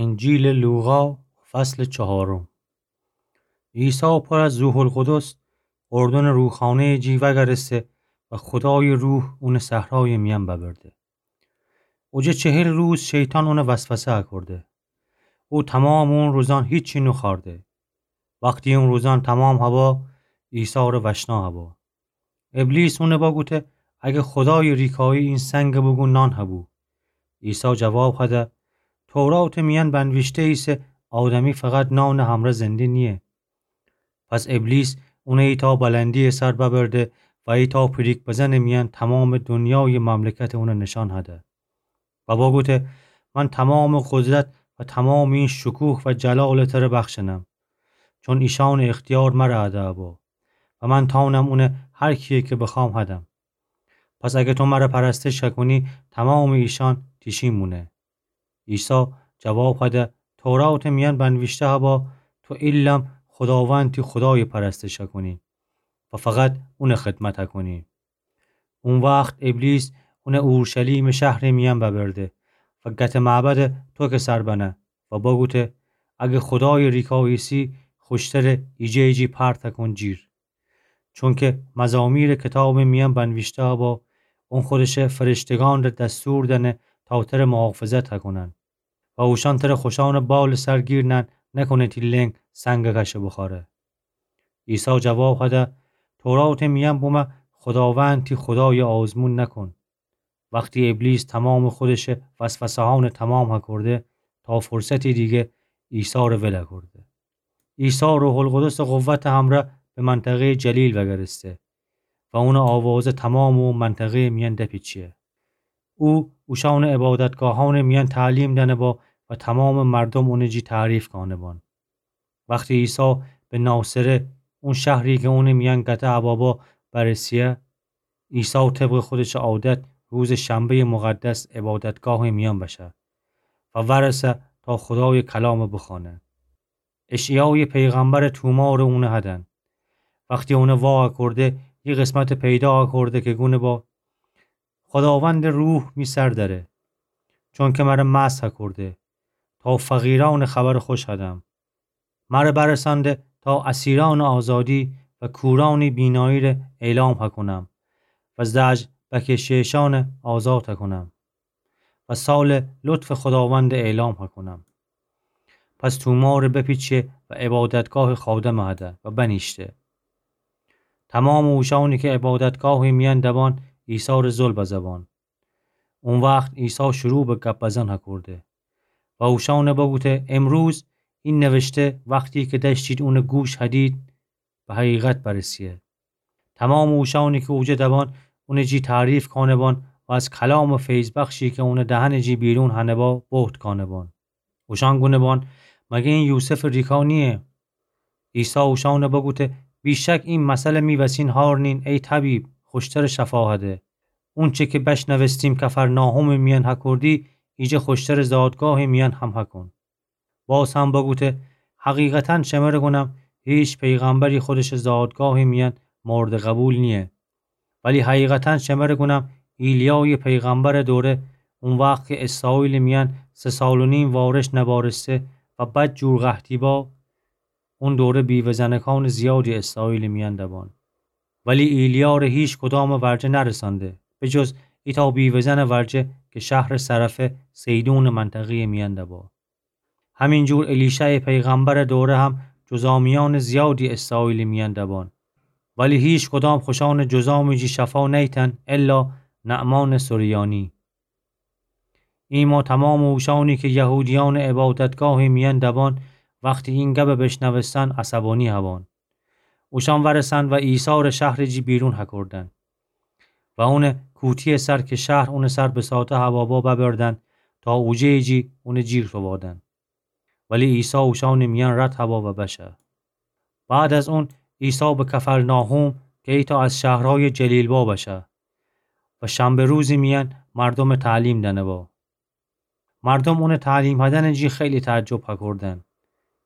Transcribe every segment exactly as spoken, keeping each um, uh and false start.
انجیلٚ لوقا، فصلٚ چهارم. عیسی پر از روح‌القدس اردنٚ روخانه‌یٚ جی وأگرسته و خودایٚ روح اونٚ صحرایٚ میأن ببرده. اوجه چهل روز شیطان اونَ وسوسه کرده. او تومامٚ اون روزأن هیچی نوخورده. وختی اون روزأن تومام هبا، عیسی ره وشنا هبا. ابلیس اونَ بگوته: اگر خودایٚ ریکایی، این سنگَ بوگو نان هبو. عیسی جواب هده: توراتٚ میأن بنویشته ایسه: آدمی فقط نانٚ همرأ زنده نییه. پس ابلیس اونَ ایتأ بلندی‌یٚ سر ببرده و ایتأ پیریک بزنٚ میأن تومامٚ دونیایٚ مملکتَ اونَ نشأن هده و بگوته: من تومامٚ قدرت و تومامٚ این شکوه و جلالَ تره بخشنم، چون ایشأنٚ اختیار مره هده هبا و من تأنم اونَ هر کیی کی بخوأم هدم. پس اگر تو مره پرستش هکونی، تومامٚ ایشأن تیشین بونه. عیسی جواب هده: توراتٚ میأن بنویشته هبا: تو ایلم خوداوند تی خودایَ پرستش هکونی و فقط اونَ خدمت هکونی. او وخت ابلیس اونَ اورشلیمٚ شهرٚ میأن ببرده و گتٚ معبدٚ توکٚ سر بنه و بگوته: اگر خودایٚ ریکا ایسی، خوشتره ایجه ایجی پرت هکون جیر. چونکی مزامیرٚ کتابٚ میأن بنویشته هبا: اون خودشٚ فرشتگأن ره دستور دأنه تا تره محافظت هکونن و اوشأن تره خوشأنٚ بالٚ سر گیر نأن، نکنه تی لنگ سنگَ کشه بوخوأره. عیسی جواب هده: توراتٚ میأن بومه خوداوند تی خودایَ آزمون نکن. وختی ابلیس تومامٚ خودشٚ وسوسه‌هأنَ تومام هکرده، تا فرصتی دیگه عیسی ره ول هکرده. عیسی روح‌القدسٚ قوتٚ همرأ به منطقه‌یٚ جلیل وأگرسته و اونٚ آوازه تومامٚ او منطقه‌یٚ میأن دپیچه. او اوشأنٚ عبادتگاهأنٚ میأن تعلیم دأنه با و تومامٚ مردوم اونٚ جی تعریف کانه بان. وختی عیسی به ناصره، اون شهری کی اونٚ میأن گته هبا با، برسیه، عیسی طبقٚ خودشٚ عادت روزٚ شنبه‌یٚ مقدس عبادتگاهٚ میأن بشه و ورسه تا خودایٚ کلامَ بخوأنه. اشعیایٚ پیغمبرٚ تومارَ اونَ هدن. وختی اونَ وا هکرده، یه قسمتَ پیدا هکرده کی گونه با: خوداوندٚ روح می سر دأره، چونکی مره مسح هکرده تا فقیرأنَ خبرٚ خوش هدم. مره برسأنده تا اسیرأنَ آزادی و کورأنٚ بینایی ره اعلام هکونم و زجر بکشیشأنَ آزاد هکونم و سالٚ لطفٚ خوداوندَ اعلام هکونم. پس تومارَ بپیچه و عبادتگاهٚ خادمَ هده و بنیشته. تومامٚ اوشأنی کی عبادتگاهٚ میأن دبان، عیسی ره ظلم بزبان. او وخت عیسی شروع به گب بزن هکرده و اوشأنَ بگوته: امروز این نوشته، وختی کی دأشتید اونَ گوش هدید، به حقیقت برسیه. تومامٚ اوشأنی کی اوجه دبان، اونٚ جی تعریف کانه بان و از کلامٚ فیض‌بخشی کی اونٚ دهنٚ جی بیرون هنه با، بهت کانه بان. اوشأن گونه بان: مگر این یوسفٚ ریکا نییه؟ عیسی اوشأنَ بگوته: بی‌شک این مثلَ می وسین هارنین: ای طبیب، خوشترٚ شفا هده. اونچه کی بشنوستیم کفرناحومٚ میأن هکردی، ایجه خوشترٚ زادگاهٚ میأن هم هکن. باز هم بگوته: حقیقتاً شمره گونم، هیچ پیغمبری خودشٚ زادگاهٚ میأن مورد قبول نییه. ولی حقیقتاً شمره گونم، ایلیایٚ پیغمبرٚ دوره، او وخت کی اسرائیلٚ میأن سه سال و نیم وارش نبارسته و بدجور قحطی با، او دوره بیوه‌زنکأنٚ زیادی اسرائیلٚ میأن دبان. ولی ایلیا ره هیچ کدامٚ ورجه نرسأنده، به جز ایتأ بیوه‌زنٚ ورجه کی شهرٚ صرفه، صیدونٚ منطقه‌یٚ میأن دبا. همین جور الیشعٚ پیغمبرٚ دوره هم جذامیأنٚ زیادی اسرائیلٚ میأن دبان، ولی هیچ کدام خوشأنٚ جذامٚ جی شفا نیتن، الا نعمانٚ سریانی. ایما تومامٚ اوشأنی کی یهودیأنٚ عبادتگاهٚ میأن دبان، وختی این گبَ بشنوستن، عصبانی هبان. اوشأن ورسأن و عیسی ره شهرٚ جی بیرون هکردن و اونٚ کوتی‌یٚ سر کی شهر اونٚ سر بساطه هوا با ببردن تا اوجه‌یٚ جی اونٚ جیر توبادن. ولی عیسی اوشأنٚ میأن رد هوا و بشه. بعد از اون عیسی به کفرناحوم کی ایتأ از شهرهایٚ جلیل با بشه و شنبه روزٚ میأن مردومَ تعلیم دأنه با. مردوم اونٚ تعلیم هدنٚ جی خیلی تعجب هکردن،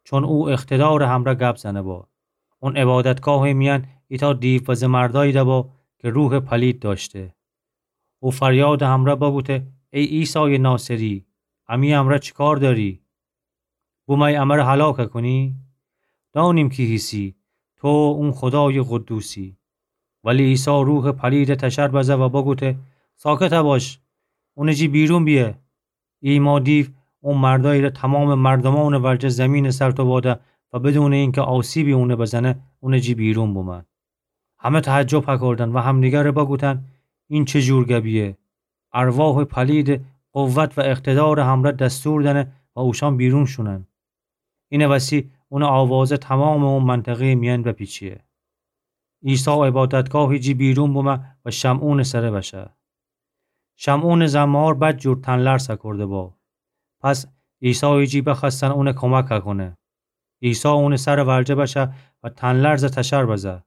چون او اقتدارٚ همرأ گب زنه با. اون عبادتگاهٚ میأن ایتأ دیو و زمردأیی دبا کی روحٚ پلید دأشته. او فریادٚ همرأ بگوته: ای عیسایٚ ناصری، امی امرأ چی کار دأری؟ بومأیی امره هلاک کونی؟ دأنیم کی هیسی، تو اون خودایٚ قدوسی. ولی عیسی روحٚ پلیده تشر بزه و بگوته: ساکت باش، اونٚ جی بیرون بیه. ایما دیو او مردأیی ره تومامٚ مردومأنٚ ورجه زیمینٚ سر توباده و بدونٚ اینکه آسیبی اونه بزنه، اونٚ جی بیرون بومه. همه تعجب هکردن و همدیگره بگوتن: این چه جور گبیه؟ ارواحٚ پلیده قوت و اقتدارٚ همره دستور دأنه و اوشأن بیرون شونن. اینه وسی اونٚ آوازه تومامٚ او منطقه‌یٚ میأن بپیچه. عیسی عبادتگاهٚ جی بیرون بومه و شمعونٚ سره بشه. شمعونٚ زمه‌وار بدجور تن‌لرز هکرده با. پس عیسایٚ جی بخوأستن اونه کمک هکونه. عیسی اونٚ سرٚ ورجه بشه و تن‌لرزه تشر بزه.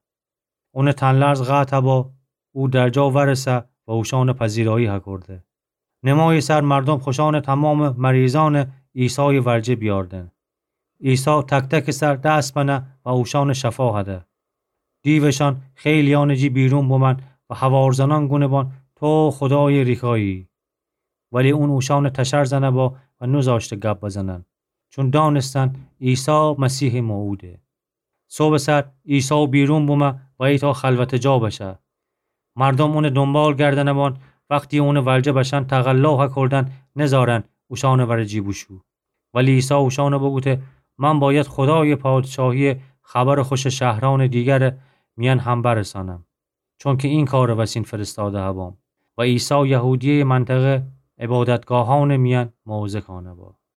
اونٚ تن‌لرز قطع با، او در جا ورسه و اوشأنٚ پذیرایی هکرده. نمایٚ سر مردوم خوشأنٚ تومامٚ مریضأنٚ عیسایٚ ورجه بیاردن. عیسی تک‌تکٚ سر دس بنه و اوشأنٚ شفا هده. دیوشأن خیلیأنٚ جی بیرون بومأن و هوار زنأن گونه بان: تو خودایٚ ریکایی. ولی اون اوشأنٚ تشر زنه با و نوذاشته گب بزنن، چون دأنستن عیسی مسیحٚ موعوده. صبحٚ سر عیسی بیرون بومه و ایتأ خلوتٚ جا بشه. مردوم اونٚ دونبال گردنه بان، وختی اونٚ ورجه بشن تقلا هکردن نذارن اوشأنٚ ورٚ جی بوشو. ولی عیسی اوشأنٚ بوگوته: من بأید خودایٚ پادشاهیٚ خبرٚ خوشٚ شهرأنٚ دیگرٚ میأن هم برسانم، چونکه این کارٚ وسین فرستاده هبام. و عیسی یهودیه‌یٚ منطقه عبادتگاهأنٚ میأن موعظه کانه با.